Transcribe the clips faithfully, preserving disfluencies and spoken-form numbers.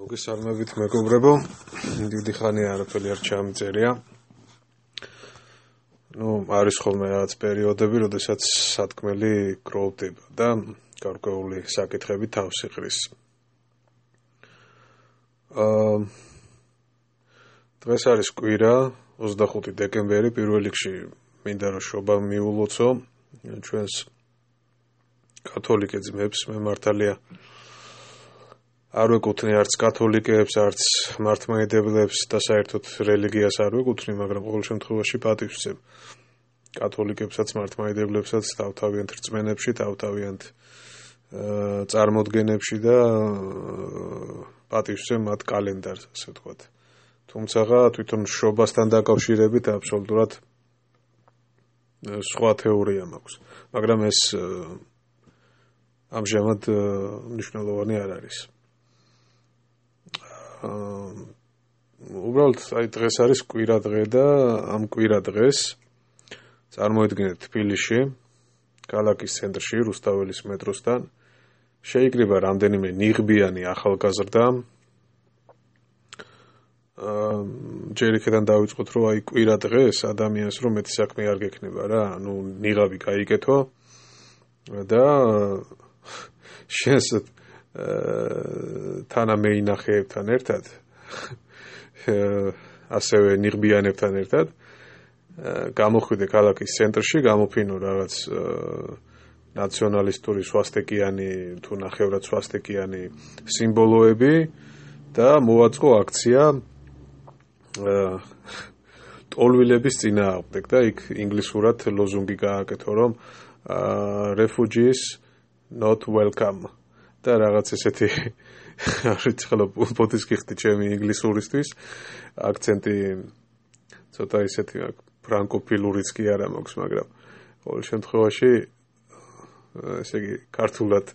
მოგესალმებით მეგობრებო, დიდი ხანია არაფერი არ ჩამიწერია. ნუ არის ხოლმე რაღაც პერიოდები, როდესაც სათქმელი გროვდება და გარკვეული საკითხები თავს იყრის. აა დღეს არის კვირა, ოცდახუთი დეკემბერი, პირველ რიგში მინდა რომ შობა მიულოცო ჩვენს კათოლიკე ძმებს, მე მართალია არ ვეკუთვნი არც კათოლიკეებს, არც მართლმადიდებლებს და საერთოდ რელიგიას არ ვეკუთვნი, მაგრამ ყოველ შემთხვევაში პატივს ვცემ კათოლიკებსაც, მართლმადიდებლებსაც თავთავიანთ რწმენებში, თავთავიანთ წარმოდგენებში და პატივს ვცემ მათ კალენდარს, ასე ვთქვათ. თუმცა თვითონ შობასთან დაკავშირებით აბსოლუტურად სხვა თეორია მაქვს, მაგრამ ეს ამჟამად მნიშვნელოვანი არ არის. უბრალოდ აი დღეს არის კვირა დღე და ამ კვირა დღეს წარმოიდგინეთ თბილისში, ქალაქის ცენტრში, რუსთაველის მეტროსთან შეიკრიბა რამდენიმე ნიღბიანი ახალგაზრდა. ჯერ იქიდან დავიწყოთ, რომ აი კვირა დღეს ადამიანს რომ მეტი საქმე არ გექნება რა, ანუ ნიღაბი გაიკეთო და შენს თანამეინახეებთან ერთად, ასევე ნიღბიანებთან ერთად გამოხვიდე ქალაქის ცენტრში, გამოფინო რაღაც ნაციონალისტური სვასტიკიანი თუ ნახევრად სვასტიკიანი სიმბოლოები და მოაწყო აქცია ტოლვილების წინააღმდეგ და იქ ინგლისურად ლოზუნგი გააკეთო, რომ refugees not welcome და რაღაც ესეთი არ ვიცი ხოლმე პოთის გიხდი ჩემი ინგლისურისთვის აქცენტი ცოტა ისეთი ფრანკოფილურიც კი არა მაქვს, მაგრამ ყოველ შემთხვევაში ესე იგი ქართულად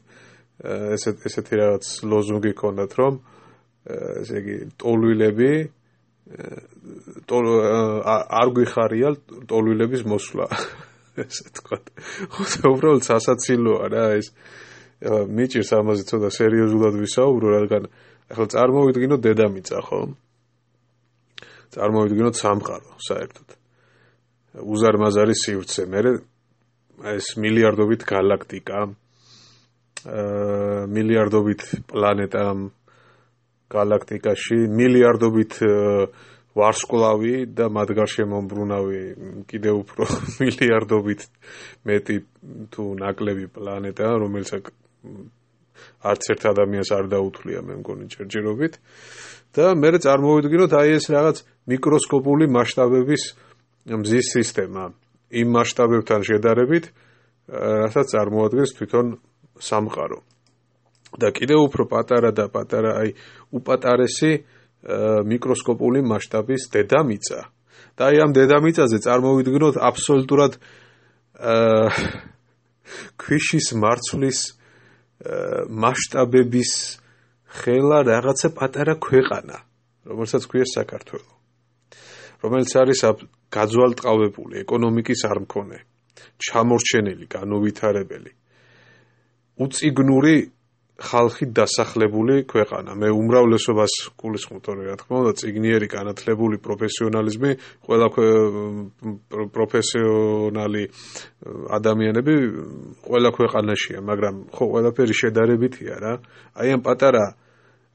ესეთ ესეთი რაღაც ლოზუნგი ქონდათ, რომ ესე იგი ტოლვილები არ გვიხარია ტოლვილების მოსვლა, ესე თქვათ. ხო, უბრალოდ სასაცილოა რა ეს. მიჭირს ამაზე ცოტა სერიოზულად ვისაუბრო, რადგან ახლა წარმოვიდგინოთ დედამიწა, ხო? წარმოვიდგინოთ სამყარო, საერთოდ. უზარმაზარი სივრცე, მე ეს მილიარდობით გალაქტიკა, აა მილიარდობით პლანეტა გალაქტიკაში, მილიარდობით ვარსკვლავი და მათ გარშემო მომბრუნავი კიდევ უფრო მილიარდობით მეტი თუ ნაკლები პლანეტა, რომელიც არც ერთ ადამიანს არ დაუთვლია, მე მგონი ჯერჯერობით და მე წარმოვიდგინოთ აი ეს რაღაც მიკროსკოპული მასშტაბების მზის სისტემა იმ მასშტაბებთან შედარებით, რასაც წარმოადგენს თვითონ სამყარო. და კიდევ უფრო პატარა და პატარა აი უპატარესი მიკროსკოპული მასშტაბის დედამიწა. და აი ამ დედამიწაზე წარმოვიდგინოთ აბსოლუტურად ქვიშის მარცვლის მასშტაბების ხელა რაღაცა პატარა ქვეყანა, რომელსაც ქვია საქართველო, რომელიც არის გაძვალტყავებული ეკონომიკის არმქონე, ჩამორჩენილი, განუვითარებელი, უწიგნური ხალხით დასახლებული ქვეყანა. მე უმრავლესობას გულისხმობ, თორე რა თქმა უნდა, წიგნიერი, განათლებული, პროფესიონალიზმი, ყველა პროფესიონალი ადამიანები ყველა ქვეყანაშია, მაგრამ ხო ყველაფერი შედარებითია რა. აი ამ პატარა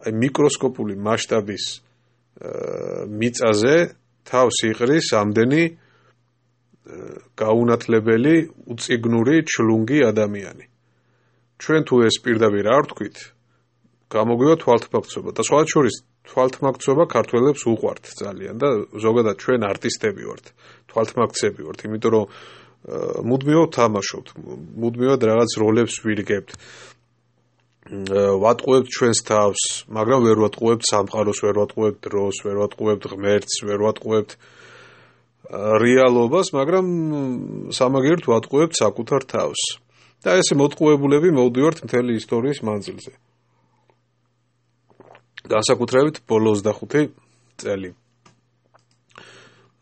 აი მიკროსკოპული მასშტაბის მიწაზე თავს იყრის ამდენი გაუნათლებელი, უწიგნური, ჩლუნგი ადამიანი. ჩვენ თუ ეს პირდაპირ არ ვთქვით, გამოგვივა თვალთმაქცობა და სხვა შორის თვალთმაქცობა ქართველებს უყვართ ძალიან და ზოგადად ჩვენ არტისტები ვართ, თვალთმაქცები ვართ, იმიტომ რომ მუდმივად თამაშობთ, მუდმივად რაღაც როლებს ვირგებთ. ვატყუებთ ჩვენს თავს, მაგრამ ვერ ვატყუებთ სამყაროს, ვერ ვატყუებთ დროს, ვერ ვატყუებთ ღმერთს, ვერ ვატყუებთ რეალობას, მაგრამ სამაგიეროდ ვატყუებთ საკუთარ თავს. და ესე მოტყუებულები მოვდივართ მთელი ისტორიის მანძილზე. განსაკუთრებით ბოლო ოცდახუთი წელი.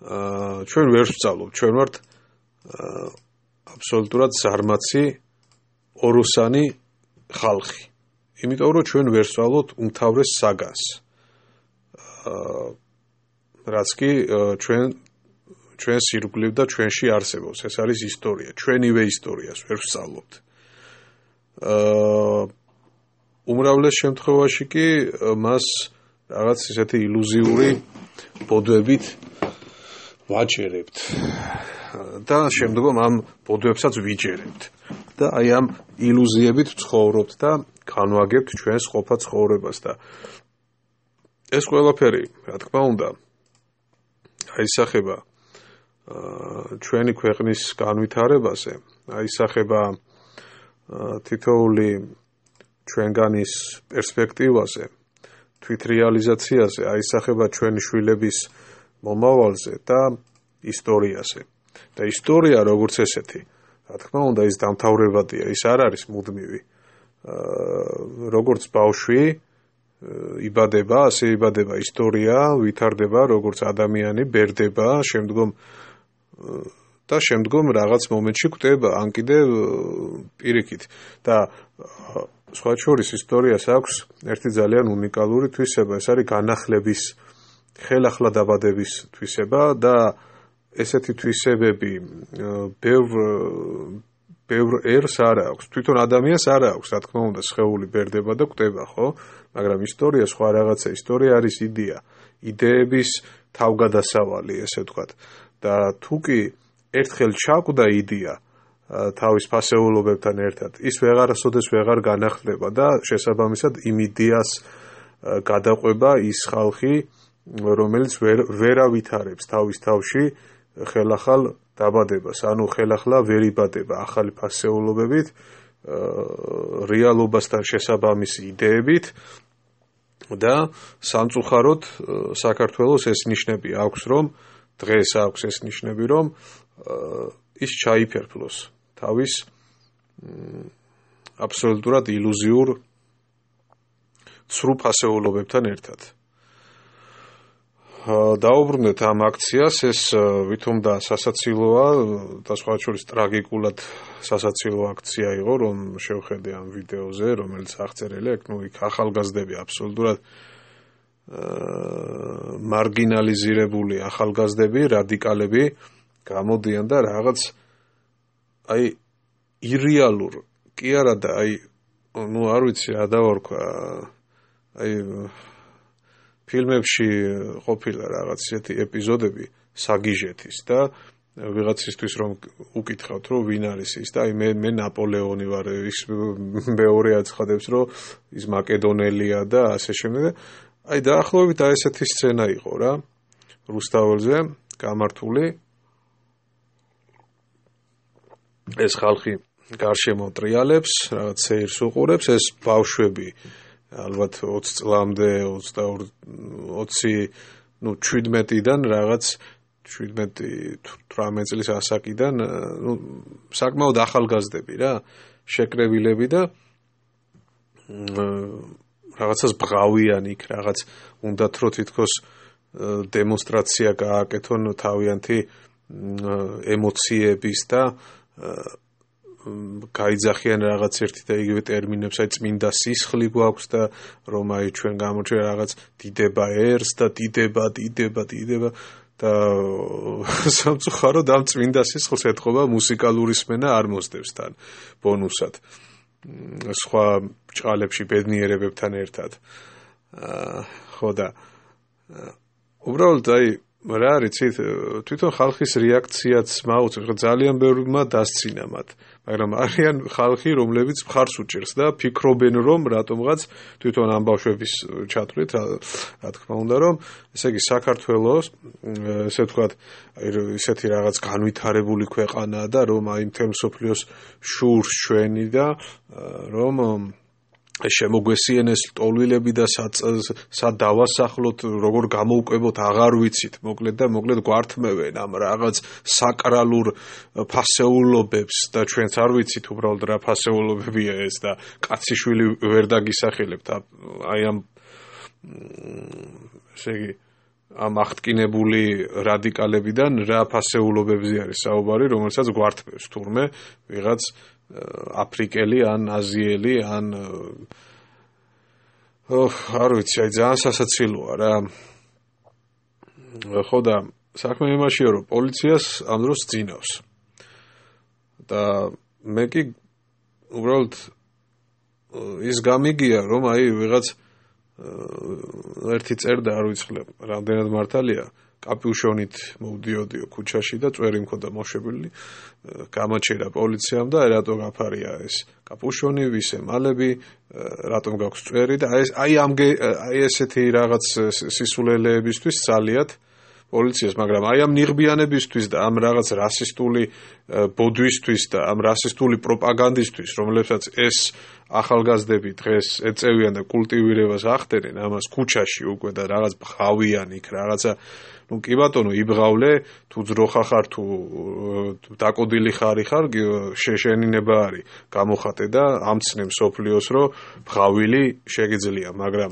აა ჩვენ ვერ ვსწავლობ, ჩვენ ვართ აბსოლუტურად ზარმაცი ოროსანი ხალხი. იმიტომ რომ ჩვენ ვერ ვსწავლობთ უმთავრეს საგანს. რაც კი ჩვენ ჩვენს ირგვლივ და ჩვენში არსებობს. ეს არის ისტორია, ჩვენივე ისტორიას ვერ ვსწავლობთ. აა უმრავლეს შემთხვევაში კი მას რაღაც ისეთი ილუზიური ბოდვებით ვაჯერებთ და შემდგომ ამ ბოდვებსაც ვიჯერებთ და აი ამ ილუზიებით ვცხოვრობთ და განვაგებთ ჩვენს ყოფა ცხოვრებას და ეს ყველაფერი, რა თქმა უნდა, აისახება ჩვენი ქვეყნის განვითარებაზე, აისახება თითოეული ჩვენგანის პერსპექტივაზე, თვითრეალიზაციაზე, აისახება ჩვენი შვილების მომავალზე და ისტორიაზე. და ისტორია როგორც ესეთი, რა თქმა უნდა, ის დამთავრებადია, ის არ არის მუდმივი. როგორც ბავშვი იბადება, ასე იბადება ისტორია, ვითარდება როგორც ადამიანი, ბერდება, შემდგომ და შემდგომ რაღაც მომენტში კვდება, ან კიდევ პირიქით და სხვა შორის ისტორიას აქვს ერთი ძალიან უნიკალური თვისება, ეს არის განახლების, ხელახლა დაბადების თვისება და ესეთი თვისებები ბევრ ბევრ ერს არ აქვს, თვითონ ადამიანს არ აქვს, რა თქმა უნდა, სხეული ბერდება და კვდება, ხო? მაგრამ ისტორია სხვა რაღაცა, ისტორია არის იდეა, იდეების თავგადასავალი, ესე ვთქვათ. და თუ კი ერთხელ ჩაკვდა იდეა თავის ფასეულობებთან ერთად, ის ვეღარასოდეს ვეღარ განახლდება და შესაბამისად იმ იდეას გადაყვება ის ხალხი, რომელიც ვერ ავითარებს თავის თავში ხელახალ დაბადებას, ანუ ხელახლა ვერ იბადება ახალი ფასეულობებით, რეალობასთან შესაბამისი იდეებით და სამწუხაროდ საქართველოს ეს ნიშნები აქვს, რომ დღეს აქვს ეს ნიშნები, რომ ის ჩაიფერფლოს თავის აბსოლუტურად ილუზიურ ცრუ ფასეულობებთან ერთად. დაუბრუნდეთ ამ აქციას, ეს ვითომ და სასაცილოა და სხვა შორის ტრაგიკულად სასაცილო აქცია იყო, რომ შევხედე ამ ვიდეოზე, რომელიც აღწერილი აქვს, ნუ იქ ახალგაზრდები აბსოლუტურად მარგინალიზირებული ახალგაზრდები, რადიკალები გამოდიან და რაღაც აი ირეალურ, კი არა და აი ნუ არ ვიცი რა დავარქვა, აი ფილმებში ყოფილა რაღაც ისეთი ეპიზოდები საგიჟეთის და ვიღაცისთვის რომ უკითხავთ რომ ვინ არის ის და აი მე მე ნაპოლეონი ვარ, ის მეორე აცხადებს რომ ის მაკედონელია და ასე შემდეგ. აი დაახლოებით აი ესეთი სცენა იყო რა რუსთაველზე გამართული. ეს ხალხი გარშემო ტრიალებს, რაღაც სეირს უყურებს, ეს ბავშვები ალბათ ოცი წლამდე, ოცი, ნუ შვიდმეტიდან რაღაც შვიდმეტი თვრამეტი წლის ასაკიდან, ნუ საკმაოდ ახალგაზრდები რა, შეკრებილები და რაღაცას ბღავიან იქ, რაღაც უნდათ რომ თითქოს დემონსტრაცია გააკეთონ თავიანთი ემოციების და გაიძახიან რაღაც ერთი და იგივე ტერმინებს, აი წმინდა სისხლი გვაქვს და რომ აი ჩვენ გამოჩვენ რაღაც დიდება ერს და დიდება, დიდება, დიდება და სამწუხაროდ ამ წმინდა სისხლს ეთყობა მუსიკალური სმენა არ მოსდევს თან ბონუსად სხვა ბრჭყალებში ბედნიერებებთან ერთად. ხო და უბრალოდ აი რა არის იცით, თვითონ ხალხის რეაქციაც მაუწყებს, ძალიან ბევრმა დასცინა მათ, მაგრამ არიან ხალხი, რომლებიც მხარს უჭერს და ფიქრობენ, რომ რატომღაც თვითონ ამ ბავშვების ჩათვლით, რა თქმა უნდა, რომ ესე იგი საქართველოს, ესე ვთქვათ, აი ისეთი რაღაც განვითარებული ქვეყანაა და რომ აი მთელ მსოფლიოს შურს ჩვენი და რომ შემოგვესიენეს ტოლვილები და სად დავასახლოთ, როგორ გამოვკვებოთ, აღარ ვიცით, მოკლედ და მოკლედ გვართმევენ ამ რაღაც საკრალურ ფასეულობებს და ჩვენც არ ვიცით უბრალოდ რა ფასეულობებია ეს და კაციშვილი ვერ დაგისახელებთ აი ამ ესე იგი ამ აღტკინებული რადიკალებიდან რა ფასეულობებზე არის საუბარი, რომელსაც გვართმევს თურმე ვიღაც აფრიკელი ან აზიელი ან ოხ არ ვიცი, აი ძალიან სასაცილოა რა. ხო და საქმე იმაშია, რომ პოლიციას ამ დროს ძინავს. და მე კი უბრალოდ ის გამიგია, რომ აი ვიღაც ერთი წერდა, არ ვიცხლე, რამდენად მართალია, კაპიუშონით მოვდიოდიო ქუჩაში და წვერი მქონდა მოშებული, გამაჩერა პოლიციამ და რატო გაფარია ეს კაპუშონი, ვის ემალები, რატომ გაქვს წვერი და აი აი ამ აი ესეთი რაღაც სისულელეებისთვის ძალიათ პოლიციას, მაგრამ აი ამ ნიღბიანებისთვის და ამ რაღაც რასისტული ბოდვისთვის და ამ რასისტული პროპაგანდისთვის, რომლებსაც ეს ახალგაზრდები დღეს ეწევიან და კულტივირებას ახდენენ ამას ქუჩაში უკვე და რაღაც ბღავიან იქ რაღაცა ну კი ბატონო იბღავლე თუ ძროხა ხარ თუ დაკოდილი ხარი ხარ შეშენინება არის გამოხატე და ამცნე მსოფლიოს რომ ბღავილი შეგიძლია მაგრამ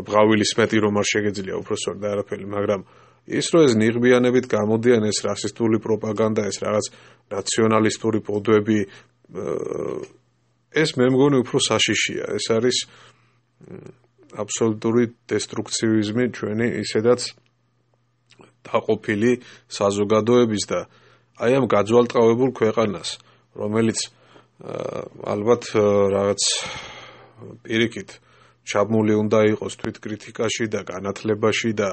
ბღავილის მეტი რომ არ შეგიძლია უბრალოდ და არაფერი მაგრამ ის რომ ეს ნიღბიანებით გამოდიან ეს რასისტული პროპაგანდა ეს რაღაც ნაციონალისტური ბოდვები ეს მე მგონი უფრო საშიშია ეს არის აბსოლუტური დესტრუქცივიზმი ჩვენი ისედაც დაყოფილი საზოგადოების და აი ამ გაძვალტყავებულ ქვეყანას რომელიც ალბათ რაღაც პირიქით ჩაბმული უნდა იყოს თვითკრიტიკაში და განათლებაში და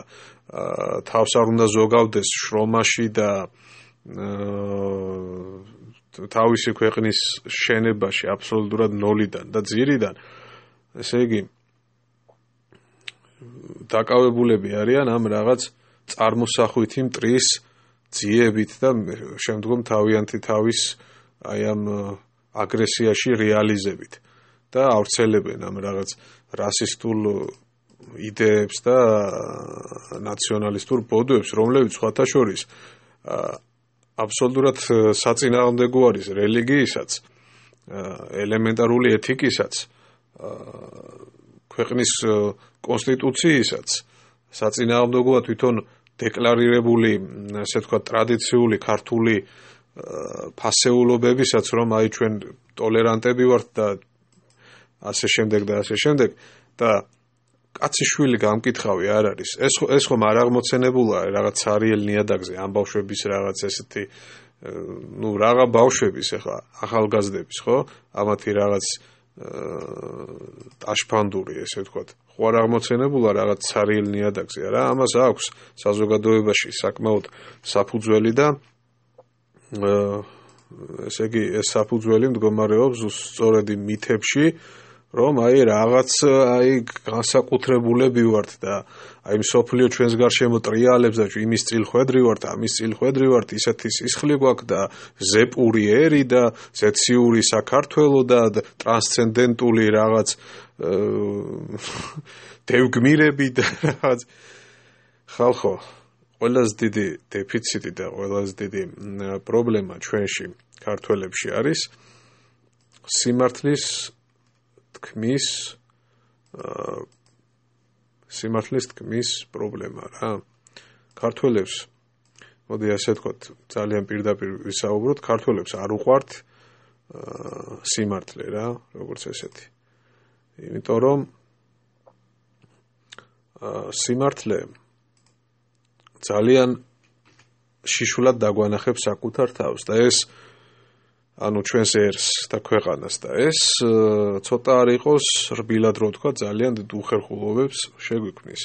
თავს არ უნდა ზოგავდეს შრომაში და თავისი ქვეყნის შენებაში აბსოლუტურად ნოლიდან და ძირიდან ესე იგი დაკავებულები არიან ამ რაღაც წარმოსახვითი მტრის ძიებით და შემდგომ თავიანთი თავის აი ამ აგრესიაში რეალიზებით და ავრცელებენ ამ რაღაც რასისტულ იდეებს და ნაციონალისტურ ბოდვებს, რომლებიც სხვათა შორის აბსოლუტურად საწინააღმდეგო არის რელიგიისაც, ელემენტარული ეთიკისაც, ქვეყნის კონსტიტუციისაც, საწინააღმდეგოა თვითონ დეკლარირებული, ასე ვთქვათ, ტრადიციული ქართული ფასეულობებისაც, რომ აი ჩვენ ტოლერანტები ვართ და ასე შემდეგ და ასე შემდეგ და კაცი შვილი გამკითხავი არ არის. ეს ეს ხომ არ აღმოცენებულა რაღაც ცარიელ ნიადაგზე ამ ბავშვების რაღაც ესეთი ну რაღა ბავშვების ახლა ახალგაზრდების ხო? ამათი რაღაც ტაშფანდური ესე ვთქვათ. ხო არ აღმოცენებულა რაღაც ცარიელ ნიადაგზე არა? ამას აქვს საზოგადოებაში საკმაოდ საფუძველი და ესე იგი ეს საფუძველი მდგომარეობს სწორედ იმ მითებში რომ აი რაღაც აი განსაკუთრებულები ვართ და აი მსოფლიო ჩვენს გარშემო ტრიალებს და იმის წილხვედრი ვართ, ამის წილხვედრი ვართ, ისეთი სისხლი გვაქვს და ზეპური ერი და ზეციური საქართველო და ტრანსცენდენტული რაღაც დევგმირები და რაღაც ხალხო ყველაზე დიდი დეფიციტი და ყველაზე დიდი პრობლემა ჩვენში ქართველებში არის სიმართლის თქმის სიმართლის თქმის პრობლემა რა. ქართველებს მოდი ასე ვთქვათ, ძალიან პირდაპირ ვისაუბროთ, ქართველებს არ უყვართ სიმართლე რა, როგორც ესეთი. იმიტომ რომ სიმართლე ძალიან შიშულად დაგვანახებს საკუთარ თავს და ეს ანუ ჩვენს ერს და ქვეყანას და ეს ცოტა არ იყოს რბილად რო თქვა ძალიან დიდ უხერხულობებს შეგვიქმნის.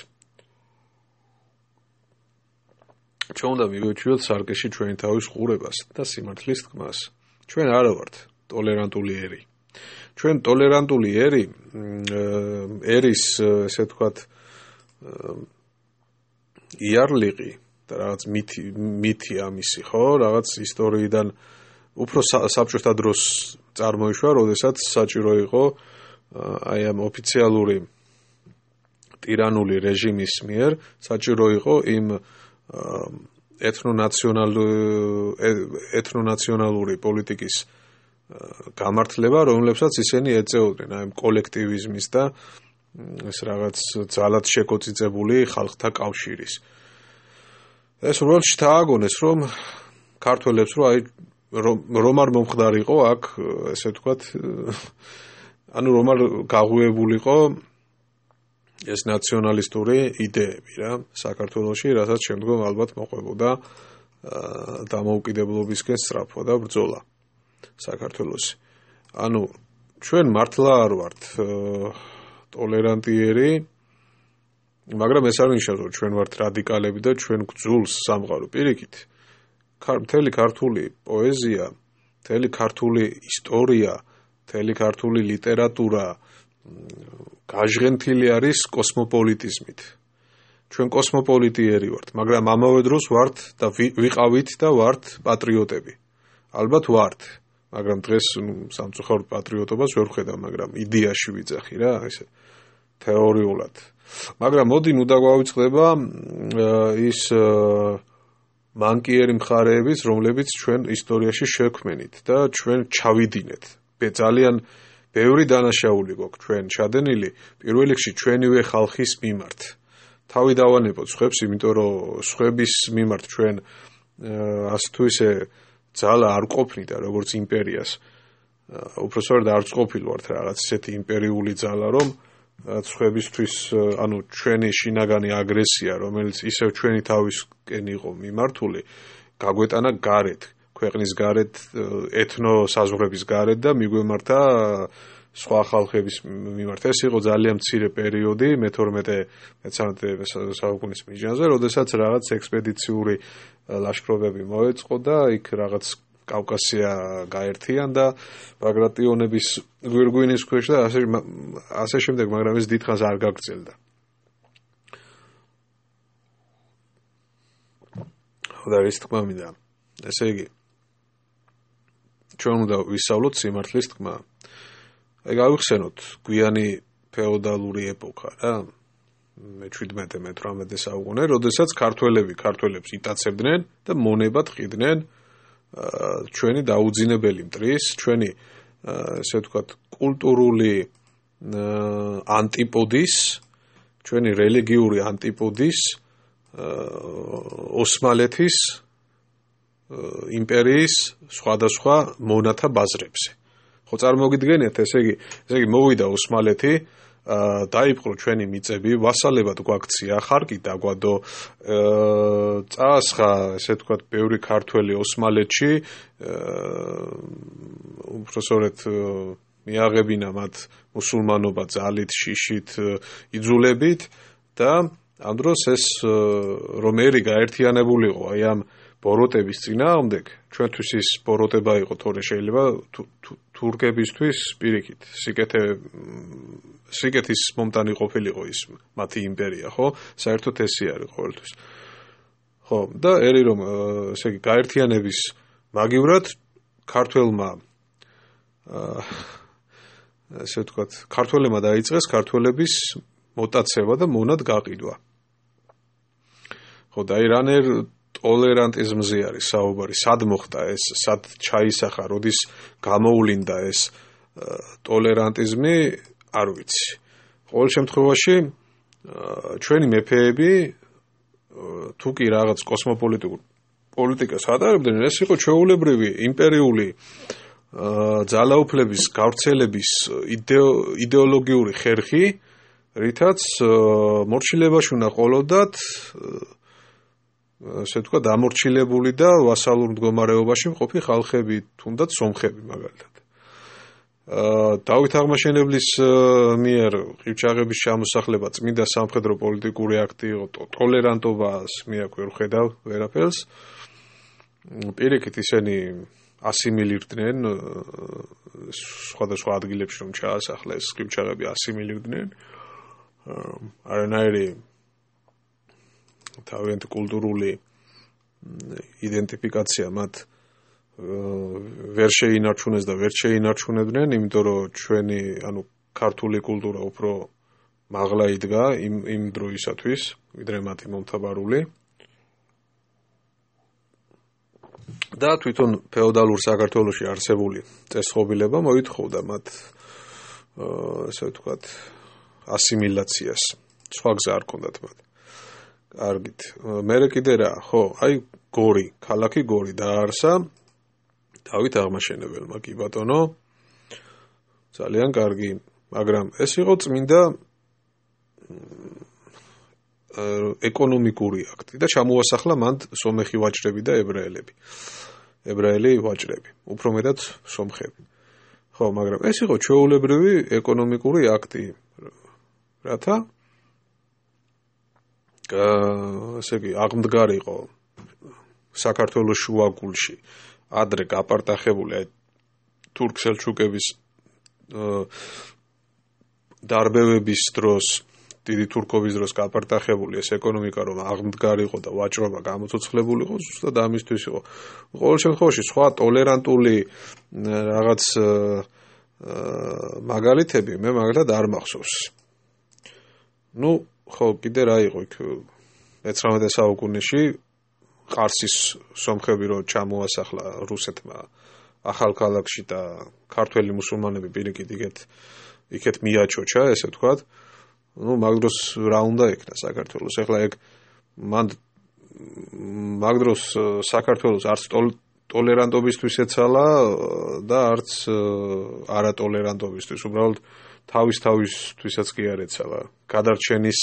ჩვენ უნდა მივეჩვიოთ სარკეში ჩვენი თავის ყურებას და სიმართლის თქმას. ჩვენ არა ვართ ტოლერანტული ერი. ჩვენ ტოლერანტული ერი ერის ესე ვთქვათ იარლიყი და რაღაც მითი მითი ამისი ხო რაღაც ისტორიიდან უფრო საბჭოთა დროს წარმოიშვა, როდესაც საჭირო იყო აი ამ ოფიციალური ტირანული რეჟიმის მიერ საჭირო იყო იმ ეთნონაციონალური პოლიტიკის გამართლება, რომლებსაც ისინი ეწეოდნენ, აი კოლექტივიზმის და ეს რაღაც ძალად შეკოწიწებული ხალხთა კავშირის. ეს უბრალოდ შთააგონეს, რომ ქართველებს რო აი რომ არ მომხდარიყო აქ ესე ვთქვათ ანუ რომ არ გაღვივებულიყო ეს ნაციონალისტური იდეები რა საქართველოში, რასაც შემდგომ ალბათ მოყვებოდა დამოუკიდებლობისკენ სწრაფვა და ბრძოლა საქართველოში. ანუ ჩვენ მართლა არ ვართ ტოლერანტიერი, მაგრამ ეს არ ნიშნავს, რომ ჩვენ ვართ რადიკალები და ჩვენ გძულს სამყარო პირიქით. მთელი ქართული პოეზია, მთელი ქართული ისტორია, მთელი ქართული ლიტერატურა გაჟღენთილი არის კოსმოპოლიტიზმით. ჩვენ კოსმოპოლიტიერი ვართ, მაგრამ ამავე დროს ვართ და ვიყავით და ვართ პატრიოტები. ალბათ ვართ, მაგრამ დღეს სამწუხაროდ პატრიოტობას ვერ ვხედავ, მაგრამ იდეაში ვიძახი რა, ესე თეორიულად. მაგრამ მოდი ნუ დაგვავიწყდება ის მანკიერი მხარეების, რომლებიც ჩვენ ისტორიაში შექმნით და ჩვენ ჩავიდინეთ. ძალიან ბევრი დანაშაული გვაქვს ჩვენ ჩადენილი, პირველ რიგში ჩვენივე ხალხის მიმართ. თავი დავანებოთ სხვებს, იმიტომ რომ სხვების მიმართ ჩვენ ასე თუ ისე ძალა არ ყოფნით და როგორც იმპერიას, უпроსტად არ ყოფილ ვართ რაღაც ისეთი იმპერიული ძალა, რომ სხვებისთვის, ანუ ჩვენი შინაგანი აგრესია, რომელიც ისევ ჩვენი თავისკენ იყო მიმართული, გაგვეტანა გარეთ, ქვეყნის გარეთ, ეთნო საზღვრების გარეთ და მიგვემართა სხვა ხალხების მიმართ. ეს იყო ძალიან მცირე პერიოდი მეთორმეტე მეცხრამეტე საუკუნის მიჯნაზე, როდესაც რაღაც ექსპედიციური ლაშქრობები მოეწყო და იქ რაღაც კავკასია გაერთიან და ბაგრატიონების გვირგვინის ქვეშ და ასე ასე შემდეგ, მაგრამ ეს დიდხანს არ გაგრძელდა. და ის თქმა მინდა. ესე იგი, ჩვენ უნდა ვისწავლოთ სიმართლის თქმა. აი გავიხსენოთ გვიანი ფეოდალური ეპოქა რა, მეჩვიდმეტე მეთვრამეტე საუკუნე, როდესაც ქართველები ქართველებს იტაცებდნენ და მონებად ყიდნენ ჩვენი დაუძინებელი მტრის, ჩვენი ესე ვთქვათ კულტურული ანტიპოდის, ჩვენი რელიგიური ანტიპოდის ოსმალეთის იმპერიის სხვადასხვა მონათა ბაზრებზე. ხო წარმოგიდგენიათ, ესე იგი, ესე იგი მოვიდა ოსმალეთი, დაიპყრო ჩვენი მიწები, ვასალებად გვაქცია, ხარკი დაგვადო, წაასხა, ესე ვთქვათ, ბევრი ქართველი ოსმალეთში, უпроსტად მიაღებინა მათ მუსულმანობა ძალით, შიშით, იძულებით და ამ დროს ეს რომ ერი გაერთიანებულიყო აი ამ ბოროტების წინააღმდეგ, ჩვენთვის ის ბოროტება იყო თორე შეიძლება თურქებისთვის პირიქით, სიკეთე სიკეთის მომტანი ყოფილიყო ის მათი იმპერია, ხო? საერთოდ ესე არის ყოველთვის. ხო, და ერი რომ ესე იგი გაერთიანების მაგივრად ქართველმა ესე ვთქვათ, ქართველებმა დაიწყეს ქართველების მოტაცება და მონად გაყიდვა. ხო, და აი რანერ ტოლერანტიზმზე არის საუბარი, სად მოხდა ეს, სად ჩაისახა, როდის გამოვლინდა ეს ტოლერანტიზმი, არ ვიცი. ყოველ შემთხვევაში ჩვენი მეფეები თუ კი რაღაც კოსმოპოლიტიკურ პოლიტიკას ატარებდნენ, ეს იყო ჩვეულებრივი იმპერიული ძალაუფლების გავრცელების იდეოლოგიური ხერხი, რითაც მორჩილებაში უნდა ყოლოდათ ასე ვთქვათ, დამორჩილებული და ვასალურ მდგომარეობაში მყოფი ხალხები, თუნდაც სომხები მაგალითად. დავით აღმაშენებლის მიერ ყივჩაღების ჩამოსახლება წმინდა სამხედრო პოლიტიკური აქტი იყო, ტოლერანტობას მე აქ ვერ ხედავ ვერაფერს. პირიქით ისინი ასიმილირდნენ სხვადასხვა ადგილებში რომ ჩაასახლეს ყივჩაღები ასიმილირდნენ. არანაირი თავიანთი კულტურული იდენტიფიკაცია მათ ვერ შეინარჩუნეს და ვერ შეინარჩუნებდნენ, იმიტომ რომ ჩვენი, ანუ ქართული კულტურა უფრო მაღლა იდგა იმ იმ დროისათვის, ვიდრე მათი მომთაბარული. და თვითონ ფეოდალურ საქართველოში არსებული წესწყობილება მოითხოვდა მათ ასე ვთქვათ ასიმილაციას. სხვა გზა არ ჰქონდათ მათ. კარგით. მერე კიდე რა, ხო, აი გორი, ქალაქი გორი დაარსა დავით აღმაშენებელმა, კი ბატონო. ძალიან კარგი, მაგრამ ეს იყო წმინდა ეკონომიკური აქტი და ჩამოასახლა მან სომეხი ვაჭრები და ებრაელები. ებრაელი ვაჭრები, უფრო მეტად სომხები. ხო, მაგრამ ეს იყო ჩვეულებრივი ეკონომიკური აქტი. რათა ასე იგი აღმდგარიყო საქართველოს შუაგულში ადრე გაპარტახებული აი თურქ-სელჩუკების დარბევების დროს დიდი თურქობის დროს გაპარტახებული ეს ეკონომიკა რომ აღმდგარიყო და ვაჭრობა გამოცოცხლებულიყო ზუსტად ამისთვის იყო. ყოველ შემთხვევაში სხვა ტოლერანტული რაღაც მაგალითები მე მაგალითად არ მახსოვს. ნუ ხო კიდე რა იყო იქ მეცხრამეტე საუკუნეში ყარსის სომხები რო ჩამოასახლა რუსეთმა ახალქალაქში და ქართველი მუსულმანები პირიქით იქეთ იქეთ მიაჩოჩა ესე ვთქვათ. ნუ მაგ დროს რა უნდა ექნა საქართველოს. ეხლა ეგ მან მაგ დროს საქართველოს არც ტოლერანტობისთვის ეცალა და არც არატოლერანტობისთვის. უბრალოდ თავის თავისთვისაც კი არ ეცალა. გადარჩენის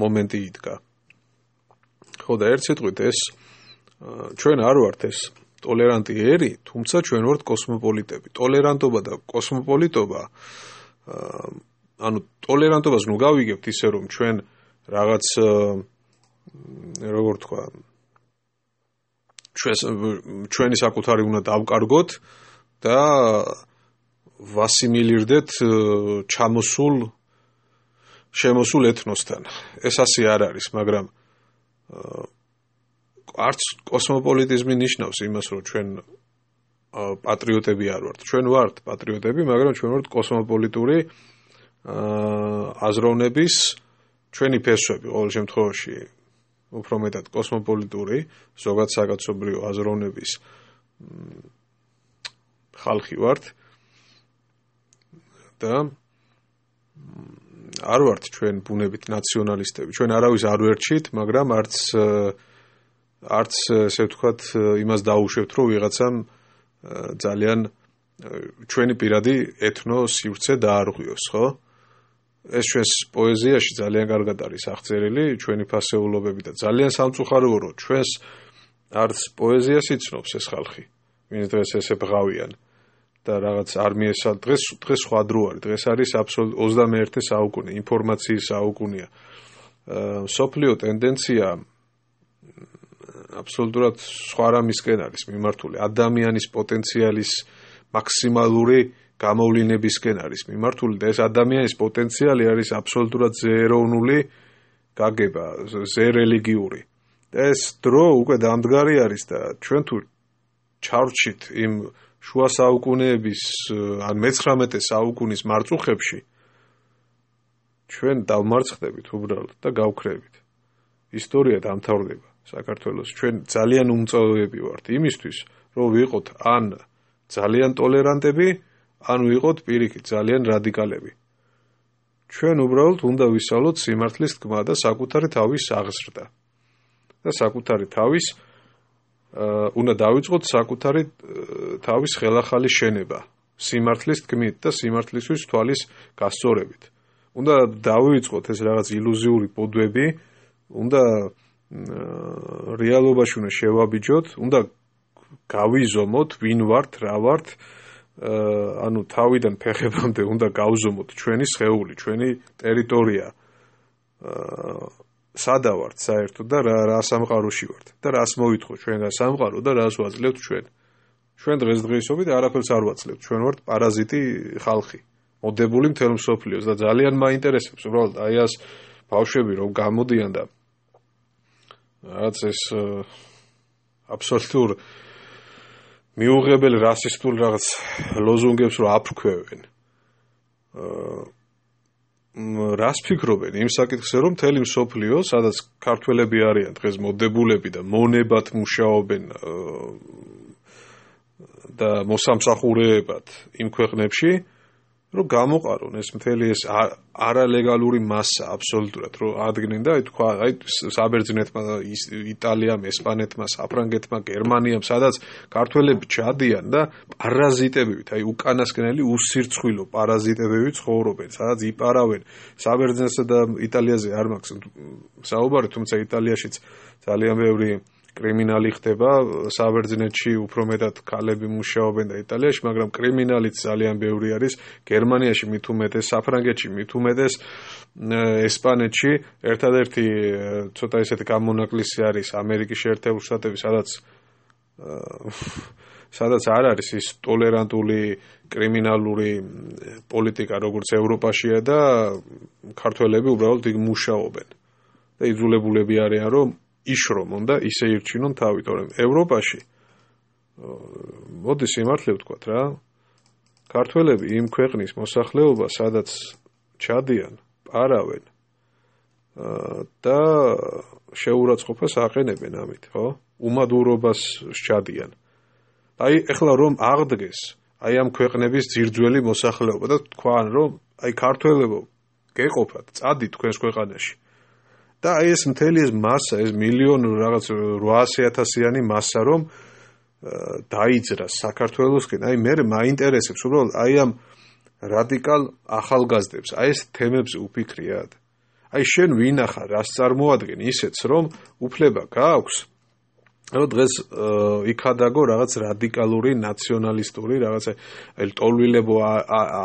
მომენტი იდგა. ხო და ერთ სიტყვით ეს ჩვენ არ ვართ ეს ტოლერანტი ერი, თუმცა ჩვენ ვართ კოსმოპოლიტები. ტოლერანტობა და კოსმოპოლიტობა ანუ ტოლერანტობას ნუ გავიგებთ ისე რომ ჩვენ რაღაც როგორ თქვა ჩვენი საკუთარი უნდა დავკარგოთ და ვასიმილირდეთ ჩამოსულ შემოსულ ეთნოსთან. ეს ასე არ არის, მაგრამ არც კოსმოპოლიტიზმი ნიშნავს იმას, რომ ჩვენ პატრიოტები არ ვართ. ჩვენ ვართ პატრიოტები, მაგრამ ჩვენ ვართ კოსმოპოლიტური აზროვნების ჩვენი ფესვები ყოველ შემთხვევაში უფრო მეტად კოსმოპოლიტური ზოგად საკაცობრიო აზროვნების ხალხი ვართ და არ ვართ ჩვენ ბუნებით ნაციონალისტები. ჩვენ არავის არ ვერჩით, მაგრამ არც არც ესე ვთქვათ იმას დაუშვებთ, რომ ვიღაცამ ძალიან ჩვენი პირადი ეთნო სივრცე დაარღვიოს, ხო? ეს ჩვენს პოეზიაში ძალიან კარგად არის აღწერილი, ჩვენი ფასეულობები და ძალიან სამწუხაროა, რომ ჩვენს არც პოეზიას იცნობს ეს ხალხი, ვინც დღეს ესე ბღავიან და რაღაც არმიესა დღეს დღეს სხვა დრო არის. დღეს არის აბსოლუტურად ოცდამეერთე საუკუნე, ინფორმაციის საუკუნეა. სოფლიო ტენდენცია აბსოლუტურად სხვა რამისკენ არის მიმართული. ადამიანის პოტენციალის მაქსიმალური გამოვლინებისკენ არის მიმართული და ეს ადამიანის პოტენციალი არის აბსოლუტურად ზეეროვნული გაგება, ზერელიგიური. და ეს დრო უკვე დამდგარი არის და ჩვენ თუ ჩავრჩით იმ შუა საუკუნეების ან მეცხრამეტე საუკუნის მარწუხებში ჩვენ დავმარცხდებით უბრალოდ და გავქრებით. ისტორია დამთავრდება საქართველოს. ჩვენ ძალიან უმწოვები ვართ იმისთვის, რომ ვიყოთ ან ძალიან ტოლერანტები, ან ვიყოთ პირიქით ძალიან რადიკალები. ჩვენ უბრალოდ უნდა ვისწავლოთ სიმართლის თქმა და საკუთარი თავის აღზრდა. და საკუთარი თავის უნდა დავიწყოთ საკუთარი თავის ხელახალი შენება სიმართლის თქმით და სიმართლისთვის თვალის გასწორებით. უნდა დავიწყოთ ეს რაღაც ილუზიური ბოდვები, უნდა რეალობაში უნდა შევაბიჯოთ, უნდა გავიზომოთ ვინ ვართ, რა ვართ, ანუ თავიდან ფეხებამდე უნდა გავზომოთ ჩვენი სხეული, ჩვენი ტერიტორია. სადა ვართ საერთოდ და რა რა სამყაროში ვართ და რას მოვითხოვ ჩვენ რა სამყარო და რას ვაძლევთ ჩვენ. ჩვენ დღესდღეობით არაფერს არ ვაძლევთ. ჩვენ ვართ პარაზიტი ხალხი, მოდებული მთელ მსოფლიოს და ძალიან მაინტერესებს უბრალოდ აი ეს ბავშვები რომ გამოდიან და რაც ეს აბსოლუტურ მიუღებელ რასისტულ რაღაც ლოზუნგებს რომ აფრქვევენ. რას ფიქრობენ იმ საკითხზე რომ მთელი მსოფლიო, სადაც ქართველები არიან დღეს მოდებულები და მონებად მუშაობენ და მოსამსახურეებად იმ ქვეყნებში, რომ გამოყარონ ეს მთელი ეს არალეგალური მასა აბსოლუტურად რომ ადგენენ და აი თქვა აი საბერძნეთმა იტალიამ, ესპანეთმა, საფრანგეთმა, გერმანიამ, სადაც ქართველები ჩადიან და პარაზიტებივით, აი უკანასკნელი უსირცხვილო პარაზიტებივით ცხოვრობენ, სადაც იპარავენ საბერძნეთსა და იტალიაზე არ მაქვს საუბარი, თუმცა იტალიაშიც ძალიან ბევრი კრიმინალი ხდება, საბერძნეთში უფრო მეტად ქალები მუშაობენ და იტალიაში, მაგრამ კრიმინალიც ძალიან ბევრი არის, გერმანიაში მით უმეტეს, საფრანგეთში მით უმეტეს, ესპანეთში, ერთადერთი ცოტა ისეთი გამონაკლისი არის ამერიკის შეერთებული შტატები, სადაც სადაც არ არის ის ტოლერანტული კრიმინალური პოლიტიკა, როგორც ევროპაშია და ქართველები უბრალოდ იქ მუშაობენ. და იძულებულები არიან, რომ იშრომონ და ისე ირჩინონ თავი, თორემ ევროპაში მოდი სიმართლე ვთქვათ რა, ქართველები იმ ქვეყნის მოსახლეობა, სადაც ჩადიან, პარავენ და შეურაცხყოფას აყენებენ ამით, ხო? უმადურობას სჩადიან. აი ეხლა რომ აღდგეს აი ამ ქვეყნების ძირძველი მოსახლეობა და თქვან რომ აი ქართველებო გეყოფათ, წადით თქვენს ქვეყანაში. და აი ეს მთელი ეს მასა, ეს მილიონი რაღაც რვაასი ათასიანი მასა რომ დაიძრას საქართველოსკენ, აი მე მაინტერესებს უბრალოდ აი ამ რადიკალ ახალგაზრდებს, აი ეს თემებზე უფიქრიათ. აი შენ ვინახარ, რას წარმოადგენ ისეც რომ უფლება გააქვს რომ დღეს იქადაგო რაღაც რადიკალური ნაციონალისტური რაღაცა აი ტოლვილებო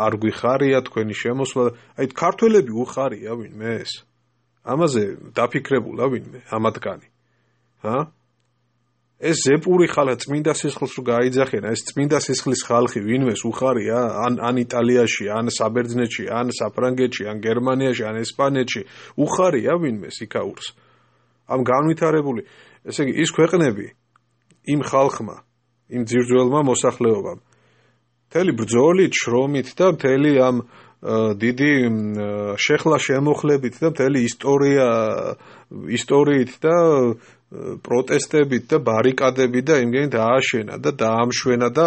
არ გვიხარია თქვენი შემოსვლა, აი ქართველები უხარია ვინმე ეს? ამაზე დაფიქრებულა ვინმე ამათგანი? ჰა? ეს ზეპური ხალხი წმინდა სისხლს რო გაიძახენ, ეს წმინდა სისხლის ხალხი ვინმეს უხარია? ან ან იტალიაში, ან საბერძნეთში, ან საფრანგეთში, ან გერმანიაში, ან ესპანეთში უხარია ვინმეს იქაურს? ამ განვითარებული, ესე იგი ის ქვეყნები იმ ხალხმა, იმ ძირძველმა მოსახლეობამ მთელი ბრძოლით, შრომით და მთელი ამ დიდი შეხლა შემოხლებით და მთელი ისტორია ისტორიით და პროტესტებით და ბარიკადებით და იმგენი დააშენა და დაამშვენა და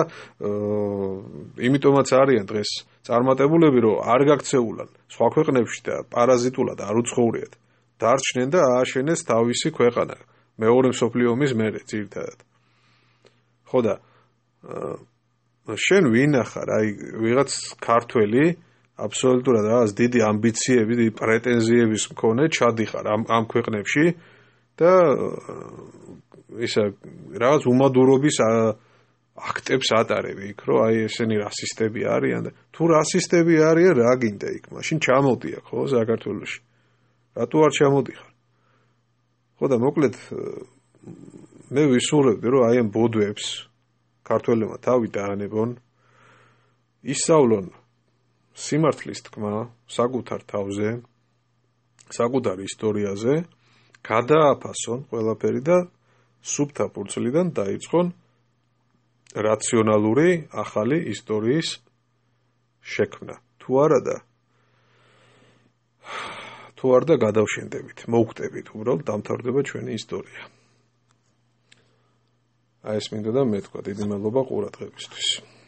იმიტომაც არიან დღეს წარმატებულები, რომ არ გაქცეულან სხვა ქვეყნებში და პარაზიტულად არ უცხოვრიათ. დარჩნენ და ააშენეს თავისი ქვეყანა მეორე მსოფლიო ომის მერე ძირითადად. ხო და შენ ვინახარ აი ვიღაც ქართველი აბსოლუტურად რაღაც დიდი ამბიციები, დიდი პრეტენზიების მქონე ჩადიხარ ამ ამ ქვეყნებში და ისა რაღაც უმადურობის აქტებს ატარები იქ, რომ აი ესენი რასისტები არიან და თუ რასისტები არიან, რა გინდა იქ? მაშინ ჩამოდი აქ, ხო, საქართველოში. რატო არ ჩამოდიხარ? ხო და მოკლედ მე ვისურვებდი, რომ აი ამ ბოდვებს ქართველებმა თავი დაანებონ, ისწავლონ სიმართლის თქმა საკუთარ თავზე, საკუთარ ისტორიაზე, გადააფასონ ყველაფერი და სუფთა ფურცლიდან დაიწყონ რაციონალური ახალი ისტორიის შექმნა. თუ არა და თუ არ და გადავშენდებით, მოვხტებით, უბრალოდ დამთავრდება ჩვენი ისტორია. აი ეს მინდოდა მეთქვა, დიდი მადლობა ყურადღებისთვის.